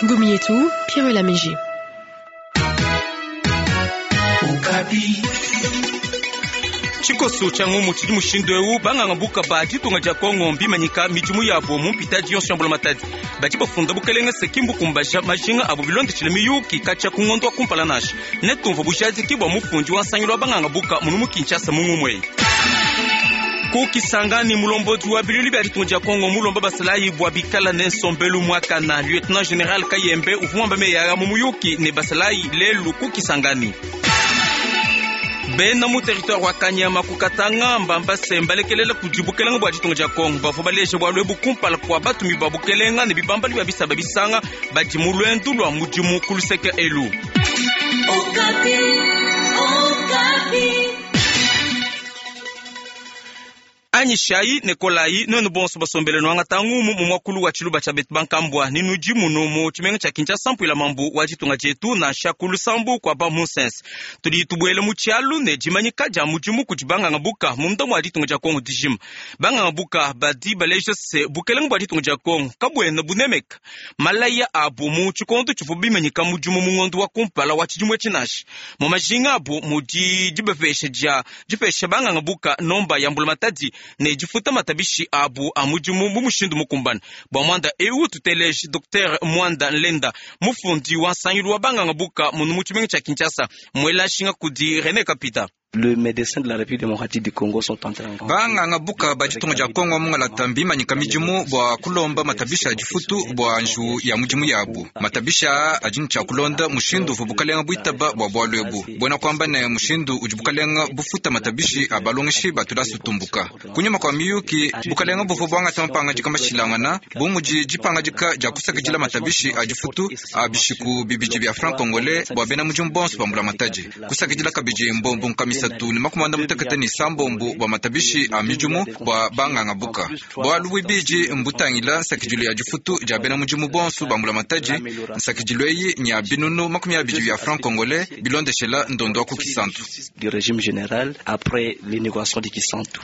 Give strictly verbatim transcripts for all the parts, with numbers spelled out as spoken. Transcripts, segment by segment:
Ngumu yetu, Pierre Lamege. Tshikoso tshia ngumu tshidi mushindu eu banganga buka ba ditunga dia Kongo mbimanyika midimu yabo mu mpitadi yonso ya mbulamatadi badi bafunda bukelenge se kimbukumbaja majinga abo bilondeshile miyuki katshia ku ngondo wa kumpala nansha netumvua bujadiki bua mufundi wa nsangilu wa banganga buka munu mu Kinshasa mu ngumu eyi. Ku Kisangani mulombodi wa bilulu bia ditunga dia Kongo mulomba basalayi bua bikala ne nsombelu muakana. Lieutenant General Kayembe uvua muamba meyi mu muyuki ne basalayi lelu ku Kisangani. Bena mu territoire wa Kanyama ku Katanga mbamba se mbalekelela kudi bukelenga bua ditunga dia Kongo bavua baleja bualu ebu kumpala kua batumi ba bukelenga ne bibambalu bia bisaba bisanga badi mu luendu lua mudimu ku luseke elu. Okapi, Okapi. Anyishayi ne kolayi nuenu bonso basombele nwangata ngumu mu mwakulu wa tshiluba tshia betu bankambua ni nudi munu mu tshimenga tshia Kinshasa mpuila mambu wa ditunga dietu nansha ku lusambu kua ba munsense. Tudi tubuele mu tshialu ne dimanyika dia mudimu kudi banganga buka munda mua ditunga dia Kongo dijima. Banganga buka badi baleja se bukelenga bua ditunga dia Kongo kabuena bunemeka malaya abu mu tshikondo tshivua bimanyika mudimu mu ngondo wa kumpala wa tshidimu etshi nansha. Mu majinga abu mudi dibapesha dia dipesha banganga buka nomba ya mbulamatadi ne difuta matabishi abu a mudimu mu mushindu mukumbane. Bua muanda eu tuteleje Docteur Mwanda Nlenda mufundi wa nsangilu wa banganga buka munu mu tshimenga tshia Kinshasa muela nshinga kudi René Kapita. Le médecin de la République démocratique du Congo sont en train Banganga buka ba ditunga dia Kongo mungalata mbimanyika midimu bua kulomba matabisha a difutu bua nju ya mudimu yabu. Matabisha adi ne tshia kulonda mushindu uvua bukalenga buitaba bua bualu ebu. Buena kuamba ne mushindu udi bukalenga bufuta matabishi a balongeshi ba tulasa tumbuka. Kunyima kua miyuki bukalenga buvua buangata mapangadika mashilangana bu mudi dipangadika dia kusakidila matabishi a difutu a bishiku bibidi bia franc congolais bua bena mudimu bonso ba mbulamatadi. Kusakidila kabidi mbombo nkamisa tu ne makumi mutekete ne sambombo bua matabishi a midimu bua banganga buka. Bualu buibidi mbutangila nsakidilu ya difutu dia bena mudimu bonso ba mbulamatadi. Nsakidilu eyi nya binunu makumi abidi bia franc congolais bilondeshela ndondo wa ku Kisantu. Du régime général après l'inauguration de Kisantu.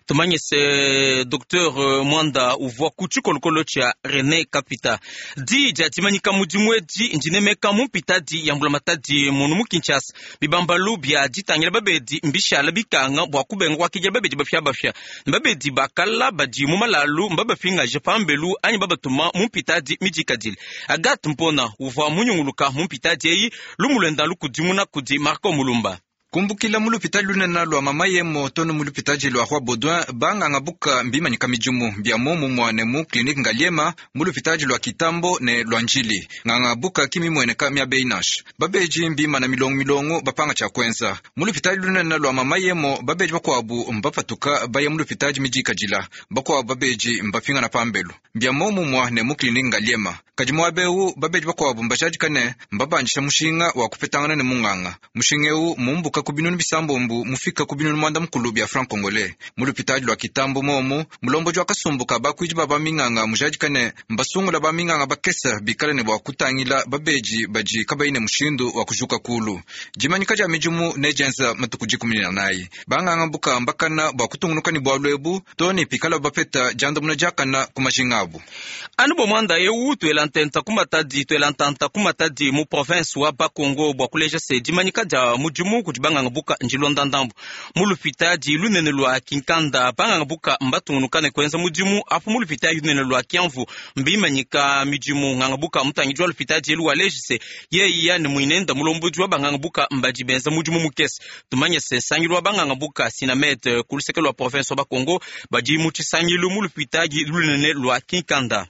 Tumanye se Docteur Mwanda uvua ku tshikolokolo tshia René Kapita. Di dia dimanyika mudimu edi ndinemeka mu mpitadi ya mbulamatadi munu mu Kinshasa. Bibambalu bia ditangila babedi mbishala bikanga bua kubenga kuakidila babedi bapiabapia. Babedi bakala badi mu malalu mbabapingaje pambelu anyi babatuma mu mpitadi midikadile. Agathe Mpona uvua munyunguluka mu mpitadi eyi lumu luenda lukudimuna kudi Marco Mulumba. Kumbukila mu lupitadi lunene lua mama yemo tono mu lupitadi lua Roi Baudouin banganga buka mbimanyika midimu bia momumua ne mu clinique Ngaliema mu lupitadi lua Kitambo ne lua Njili. Nganga buka kimimweneka miaba eyi nansha. Babeji mbimana milongo milongo bapanga tshia kuenza. Mu lupitadi lunene lua mama yemo babeji bakuabu mbapatuka baya mu lupitadi midikadila. Bakuabu babeji mbapingana pambelu. Bia momumua ne mu clinique Ngaliema. Kadi muaba eu babeji bakuabu mbajadika ne mbabandisha mushinga wa kupetangana ne munganga. Mushinga eu mumbuka ku binunu bisambombo mufika ku binunu mwanda mukulu bia franc congolais. Mu lupitadi lua Kitambo momu mulombodi wa kasumbu ka bakuidi ba baminganga mujadika ne mbasungula baminganga bakesa bikale ne bua kutangila babeji badi kabayi ne mushindu wa kujuka kulu. Dimanyika dia midimu nedienza matuku dikumi ne anayi. Banganga buka mbakana bua kutungunuka ne bualu ebu to ne pikala bapeta diandamuna diakana ku majinga abu. Anu bua muanda eu tuela ntenta ku Matadi, tuela ntanta ku Matadi mu province wa Bakongo bua kuleja se dimanyika dia mudimu kudi banganga buka ndilonda ndambu. Mu lupitadi lunene lua Kinkanda banganga buka mbatungunuka ne kuenza mudimu apu mu lupitadi lunene lua Kiamvu mbimanyika midimu. Nganga buka mutangidi wa lupitadi elu waleji se yeyi yani muinenda mulombodi wa banganga buka mbadi benza mudimu mukese. Tumanye se nsangilu wa banganga buka Sinamed ku luseke lua province wa Bakongo badi mu tshisangilu mu lupitadi lunene lua Kinkanda.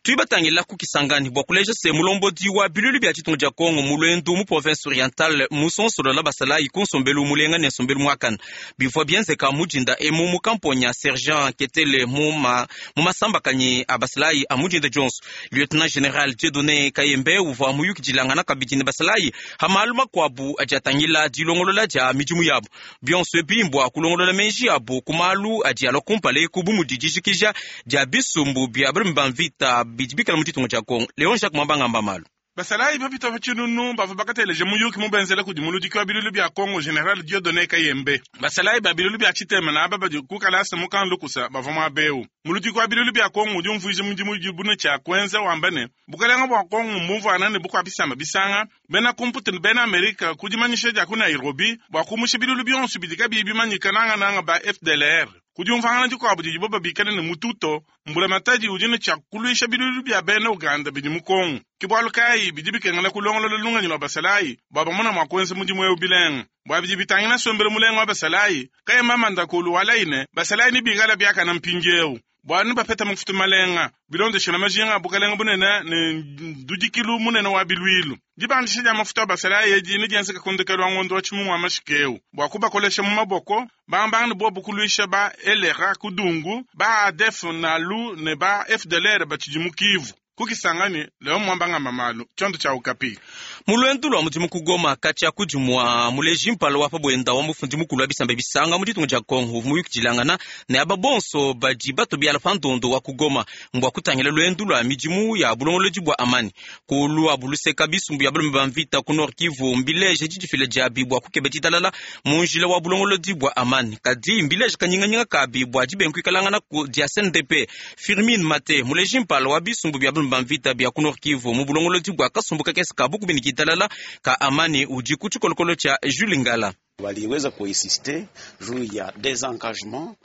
Tuibatangila ku Kisangani bua kuleja se mulombodi wa bilulu bia ditunga dia Kongo mu luendu mu province orientale musonsolola basalayi ku nsombelu mulenga ne nsombelu muakana. Bivua bienzeka mudinda emu mu kamponya sergent Ketele mu ma, mu masambakanyi a basalayi a mudinda dionso. Lieutenant General Dieudonné Kayembe uvua muyukidilangana kabidi ne basalayi ha malu makuabu adi atangila dilongolola dia midimu yabu. Bionso ebi mbua kulongolola meji abu ku malu adi alua kumpala eku bu mudi dijikija dia bisumbu bia balumi ba mvita bidi bikala mu ditunga dia Kongo. Leon Jacques Mwamba ngamba malu. Basalayi bapita pa tshinunu bavua bakateleja muyuki mubenzela kudi muludiki wa bilulu bia Congo General Dieudonné Kayembe. Basalayi ba bilulu bia tshitema na aba badi ku kalasa mu Kanlukusa bavua muaba eu. Muludiki wa bilulu bia Congo udi umvuija mudimu udibu ne tshia kuenza wamba ne bukalenga bua Congo mbumvuana ne bukua bisamba bisanga bena kumputu ne bena Amerika ku dimanyisha dia ku Nairobi bua kumusha bilulu bionso bidi kabiyi bimanyika nangananga ba F D L R. Kudi umvangana dikuabu didibo babikale ne mututo mbulamatadi udi ne tshia kuluisha bilulu bia bena Uganda bidi mu Kongo. Ke bualu kayi bidi bikengela kulongolola lungenyi lua basalayi bua bamona mua kuenza mudimu eu bilenga. Bua bidi bitangila nsombelu mulenga wa basalayi kayemba mandakulu walayi basalayi ne bikala biakana mpindieu. Bua bapeta mafuta malenga bilondeshela majinga a bukalenga bunene ne ndudikilu munene wa bilwilu. Dibandisha dia mafuta a basalayi edi ne dienzeka kundekelu wa ngondo wa tshimungu wa mashikeu bua kubakolesha mu maboko bambanga ne bobu kuluisha ba L R A kudungu ba A D F nalu ne ba F D L R batshidi mu Kivu. Kukisangani leo mwambanga mamalu chondo cha Okapi. Mulwendu lwa mudimu kugoma kati ya kudimwa muleji mpala wa pabwenda wa mufundi mukulu wa bisamba bisanga mu ditunga dia Kongo muyukidilangana ne aba bonso badi batobiala pa ndondo wa kugoma mbwa kutangila lwendu lwa midimu ya bulongolodi bwa amani kulu wa buluseka bisumbu ya balume ba mvita ku Nord Kivu mbileje didifila diabi bua kukeba ditalala mu njila wa bulongolodi bwa amani kadi mbileje kanyinganyinga kabi bua dibenkuikalangana ku dia C N D P. Firmin Mate muleji mpala wa bisumbu bya balume ba mvita bya ku Nord Kivu mu bulongolodi bwa kasumbu kakese ka bukubini talala ka amani udi ku tshikolokolo tshia Jules Ngala. Waliweza kuinsiste juu ya desengagement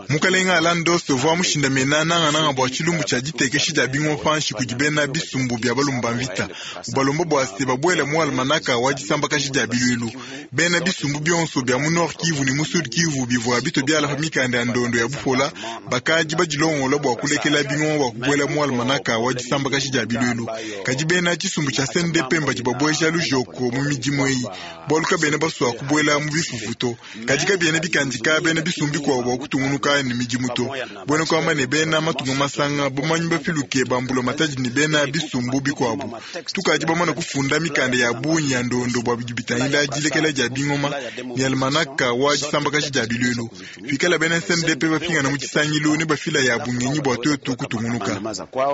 mukalenga Alandos uvua mushindamena nangananga bua tshilumbu tshia ditekesha dia bingoma panshi kudi bena bisumbu bia balumba mvita ubalomba bua se babuela mu almanaka wa disambakaji dia bilwilu bena bisumbu bionso bia mu Nord Kivu ne mu Sud Kivu bivua bito biala pa mikanda ya ndondo ya bupola bakadi badilongola bua kulekela bingoma bua kubuela mu almanaka wa disambakaji dia bilwilu kadi bena tshisumbu tshia C N D P mbadi babueja lujoko mu midimu eyi bualu kabena basua kubuela mu bifufu to kadi kabiena bikandika bena bisumbu bikuabu bua kutungunuka ni midimu to bwena kwamba ne bena matunga masanga bamanyi bafiluke bambula matadi ne bena bisumbu bikuabu tukadi bamana kufunda mikanda ya bunyi ya ndondo bua bidi bitangila dilekela dia bingoma ne almanaka wa disambakaji dia bilwelu fikala bena S N D P bapingana mu tshisangilu ne bafila ya bungenyi bua tuetu kutungunuka.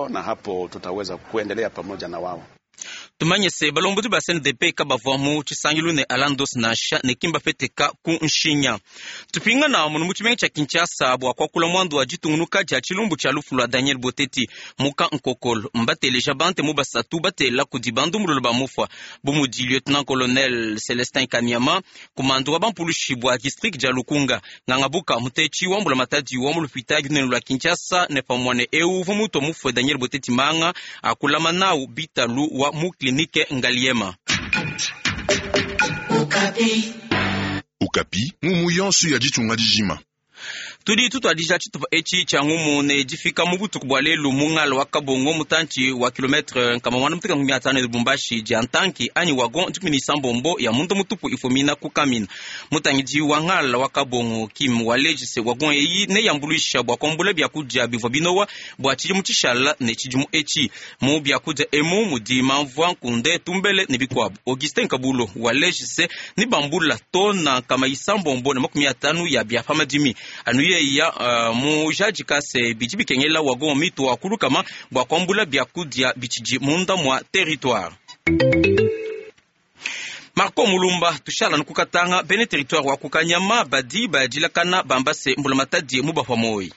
Na hapo tutaweza kuendelea pamoja na wao. Tumanye se balombozi ba C N D P kabavua mu tshisangilu ne Alandos nansha ne kimba feteka ku nshinya. Tupingana munu mu tshimenga tshia Kinshasa bua kuakula mwandu wa ditungunuka dia tshilumbu tshia lufu lua Daniel Boteti muka Nkokolo mbateleja bante mu basatu batela kudi bandu ba mufwa bu mudi lieutenant colonel Celestin Kanyama kumandu wa bampulushi bua district dia Lukunga ngangabuka mutechi wa mbula matadi wa mu lupita ginene lua Kinshasa ne pamwane eu uvua muto mufwe Daniel Boteti manga akulama nau bitalu wa mu klinike Ngaliema. Okapi. Okapi, ngumu yonso ya ditunga dijima. Tudi tutwadija tshitupa etshi tshia ngumu ne difika mu butuku bua lelu mu ngala wa Kabongo mutantshi wa kilometre nkama mwana muteka nkumi atano Lubumbashi dia ntanki anyi wagon dikumi ni sambombo ya mundu mutupu ifumina ku Kamina. Mutangidi wa ngala wa Kabongo Kim walejise wagon eyi ne yambuluisha bua kuambula biakudia bivua binowa bua tshidimu tshishala ne tshidimu etshi mu biakudia emu mudi mamvua nkunde tumbele ne bikuabu. Augustin Kabulo walejise ni bambula tona nkama isambombo na makumi atano ya bia pamadimi anu ye ya uh, mu jadikase bidi bikengela wagon mitu wa kulukama bua kuambula biakudia bitshidi munda mwa territoire. Marco Mulumba tushala nukukatanga bene territoire wa kukanyama badi badilakana bambase mbulamatadi mubapwa moi.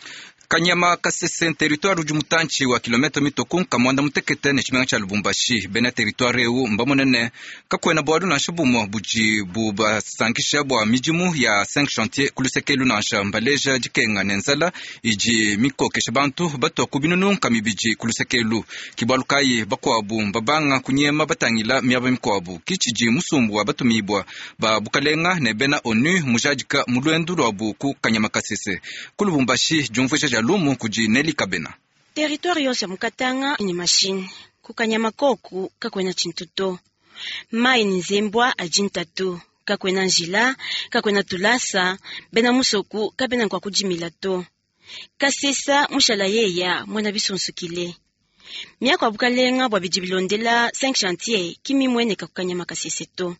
Kanyama Kasese territoire udi mutantshi wa kilomita mitoku nkamwanda mutekete ne tshimenga tshia Lubumbashi bena territoire eu mbamonene kakwena bwadu nansha bumwe budi bubasankisha bua midimu ya cinq chantier kulusekelu nansha mbaleja dikenga ne nzala idi mikokesha bantu batua ku binunu nkamibidi kulusekelu kibalu kayi bakuabu mbabanga kunyema batangila miaba mikuabu kitshidi musumbu wa batumibwa ba bukalenga ne bena ONU mujadika mulwendu lwabu ku Kanyama Kasese ku Lubumbashi diumvuija dia lumu kudi Neli Kabena. Territoire yonse mukatanga ni machine kukanyama koku kakwena chintuto mai ni nzembwa ajintatu kakwena njila kakwena tulasa bena musoku kabena kwa kujimila to kasesa mushala yeya mwana bisunsukile miako abukalenga bwa bijibilondela cinq chantier kimi mwene kakukanyama kasese to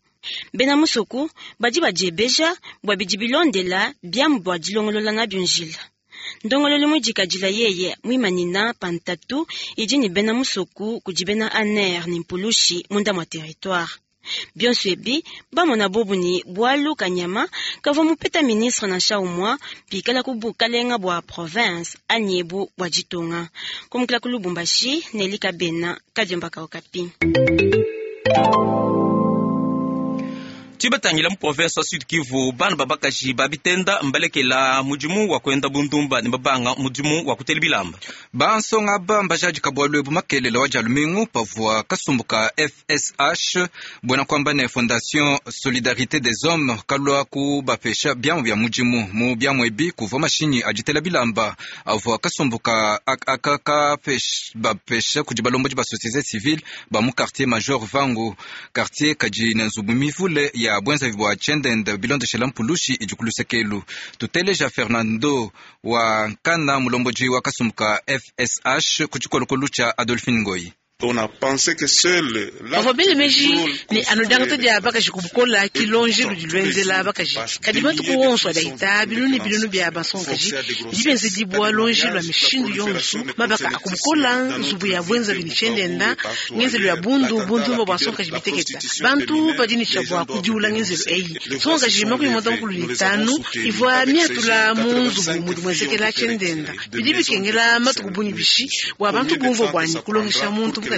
bena musoku badi bajebeja bwa bijibilondela byamu bwa dilongolola na byunjila Ndongololo mujikadila yeye mwimanina pantatu idi ni bena musoku kudi bena aner ni mpulushi munda mwa territoire. Bionso ebi bamona bobu ni bwalu kanyama kavua mupeta ministre nansha umwa pikala ku bukalenga bwa province anyebu bwa ditunga. Kumukila ku Lubumbashi Nelika Bena Kadiomba ka Okapi. Tibatangila mu province wa Sud Kivu bana babakaji babitenda mbalekela mudimu wa kwenda bundumba ne babanga mudimu wa kutela bilamba. Bansonga aba mbajadika bwalu ebu makelela wa dia lumingu pavua kasumbu ka F S H buena kuamba ne Fondation Solidarité des Hommes kalua kubapesha biamu bia mudimu mu biamu ebi kuvua mashinyi aditela bilamba avua kasumbu ka aka bapesha kudi balombodi ba société civile ba mu quartier Major Vangu quartier kadi ne nzubu mivule ya bwenza bwa tshendende bilondeshela mpulushi idi ku lusekelu. Tuteleja Fernando wa Nkana mulomboji wa kasumbu ka F S H ku tshikolokolu tshia Adolphine Ngoyi. Bavua bele meji ne anodangata dia bakaji kubukola kilonje ludi lwenzela bakaji kadi matuku wonso adahita bilunu bilunu bia bansongaji bidi benzedibwa lonje lwa mishindu yonso mabaka akubukola nzubu ya bwenza bini tshendenda ngenzelo ya bundu bundumba bwa nsongaji biteketa bantu badi ne tshiabwa kudiula ngenzelo eyi nsongaji makumi muanda mukulu ne tanu ivua miatula mu nzubu mudi mwenzekela tshendenda bidi bikengela matuku bunyi bishi bua bantu bumvua bwanyi kulongesha muntu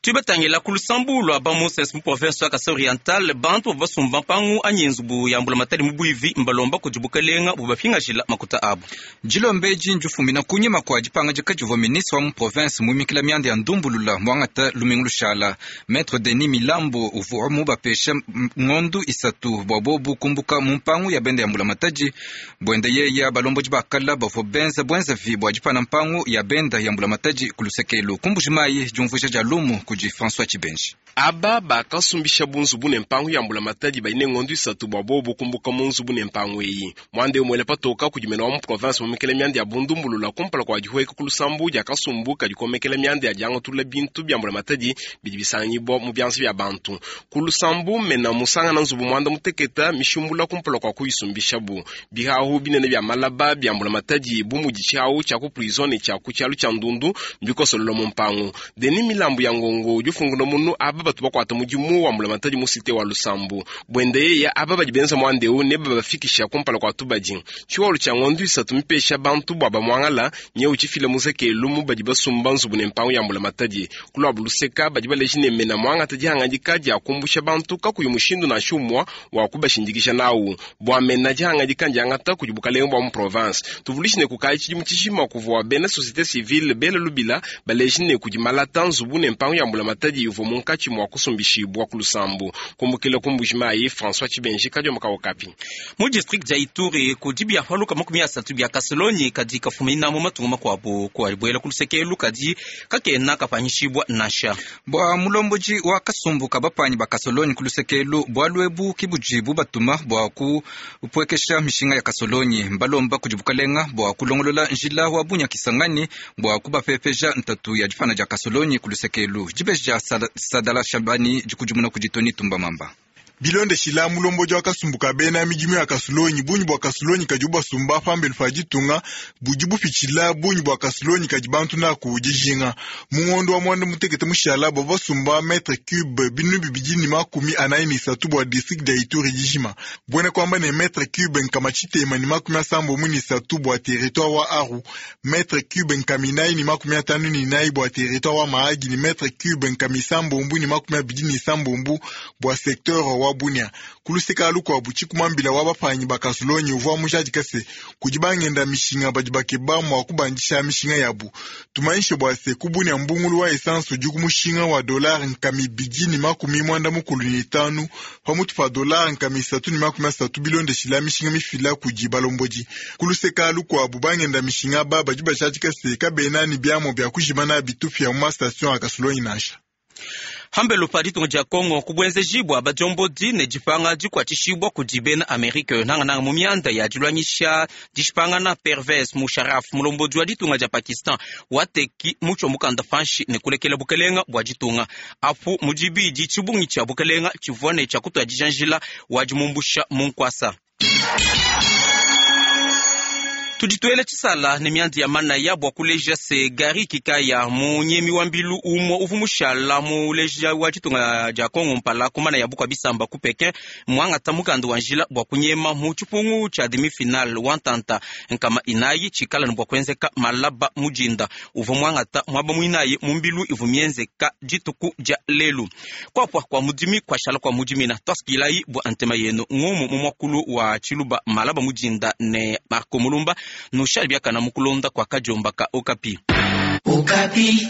Tubatangila ku lusambu lwa ba Moses mu province wa Kasai Oriental bantu basumba mpangu anyi nzubu ya mbulamatadi mu bwivi mbalomba kudi bukalenga bubapingajila makuta abu. Jilombeji njufumina kunyima kwa dipanga dikadivua ministre wa mu province muimikila mianda ya ndumbulula mwangata lumingu lushala. Maître Denis Milambo uvua mubapesha ngondu isatu bua bobu kumbuka mu mpangu ya benda ya mbulamatadi bwende yeya balombodi bakala bavua benza bwenzavi bua dipana mpangu ya benda ya mbulamatadi ku lusekelu kumbujimayi diumvuija dia lumu kudi François Chibenji. Aba bakasumbisha bunzubu ne mpangu ya mbulamatadi baine ngondu isatu bua bobu kumbuka mu nzubu ne mpangu eyi mwande umwele patoka kudi mena wa mu province mumikele mianda ya bundumbulula kumpala kua dihueka ku lusambu dia kasumbu kadi komekela mianda ya diangatulula bintu bia mbulamatadi bidi bisangibwa mu bianza bia bantu ku lusambu mena musangana nzubu mwanda muteketa mishumbula kumpala kua kuyisumbishabu bihahu binene bia malaba bia mbulamatadi bu mudi tshiahu tshia ku prison ne tshia ku tshialu tshia ndundu mbikosololo mu mpangu Deni Milambu ya ngongo difunguno munu aba batu bakwata mudimu wa mbulamatadi mu site wa lusambu bwende ya aba badi benza mwandeu ne babafikisha kumpala kwa tubadi tshiwalu tshia ngondu isatu mipesha bantu bua bamwangala nye uchifile muzekelu mu badi basumba nzubu ne mpangu ya mbulamatadi kulwa buluseka badi baleji ne mena mwangata dihangadika dia kumbusha bantu kakuyi mushindu nansha umwa wa kubashindikisha nawu bua mena dihangadika ndiangata kudi bukalenga bua mu province tuvulishi ne kukayi tshidimu tshishima kuvua bena société civile bela lubila baleji ne kudi malata nzubu ne mpangu ya mbulamatadi ivua munkatshi mwa kusumbishibwa ku lusambu kumbukila kumbujimayi François Chibenji Kadiomba ka Okapi. Mu district dia Ituri kudi biapaluka makumi asatu bia Kasolonyi kadi kafumina mu matunga makuabu kuabuela ku lusekelu kadi kakena kapanyishibwa nansha. Bua mulomboji wa kasumbu ka bapanyi ba Kasolonyi ku lusekelu bualu ebu kibudi bubatuma bua kupwekesha mishinga ya Kasolonyi mbalomba kudi bukalenga bua kulongolola njila wa bunya Kisangani bua kubapepeja ntatu ya dipana dia Kasolonyi ku lusekelu dibeji dia Sadala Shabani dikudimuna kudi Tony Tumba Mamba. Bilondeshila mulomboji wa kasumbu ka bena midimu ya Kasolonyi bunyi bua Kasolonyi kadi ubasumba pambelu pa ditunga budi bupitshila bunyi bua Kasolonyi kadi bantu naku dijinga mu ngondo wa mwanda mutekete mushala bua basumba metre cube binu bibidi ne makumi anayi ne isatu bua district dia Ituri dijima buena kuamba ne metre cube nkama tshitema ne makumi asambombo ne isatu bua territoire wa Aru metre cube nkama inayi ne makumi atanu ne inayi bua territoire wa Mahagi ne metre cube nkama isambombo ne makumi abidi ne isambombo bua secteur wa Bunia kuluseka lukuabu tshikumambila wa bapanyi ba Kasolonyi uvua mujadika se kudi bangenda mishinga badi bakeba mua kubandisha mishinga yabu tumanyishe bua se ku Bunia mbungulu wa essence udi ku mushinga wa dollar nkama ibidi ne makumi mwanda mukulu ne itanu pamutu pa dollar nkama isatu ne makumi asatu bilondeshila mishinga mifila kudi balombodi kuluseka lukuabu bangenda mishinga ba badi bajadika se kabena ne biamu bia kujimana bitupia mu ma station ya Kasolonyi nansha. Hambelo pa ditunga dia Kongo kubwenzejibwa badiombodi ne dipanga dikuatshishibwa kudi bena Amerika nangananga mu mianda ya dilwanyisha dishipangana Pervez Musharraf mulombodi wa ditunga dia Pakistan wateki mutsho mukanda panshi ne kulekela bukelenga bua ditunga apu mudibidi tshibungi tshia bukelenga tshivua ne tshia kutua dijanjila wa dimumbusha mu nkwasa. Tudituele tshisala ne miandi ya manaya bua kuleja se Gary Kikaya munyemi wa mbilu umue uvu mushala muleja wa ditunga dia Kongo mpala ku manaya bukua bisamba ku Pekin muangata mukanda wa njila bua kunyema mu tshipungu tshia demi-finale wa ntanta nkama inayi tshikala ne bua kuenzeka malaba mujinda uvua muangata muaba muinayi mu mbilu ivu mienzeka dituku dia lelu kuapua kua mudimi kuashala kua mudimina twasikilayi bua antema yenu ngumu mu muakulu wa tshiluba malaba mujinda ne Marco Mulumba nushali biakana mukulonda kwa kajombaka Okapi. Okapi.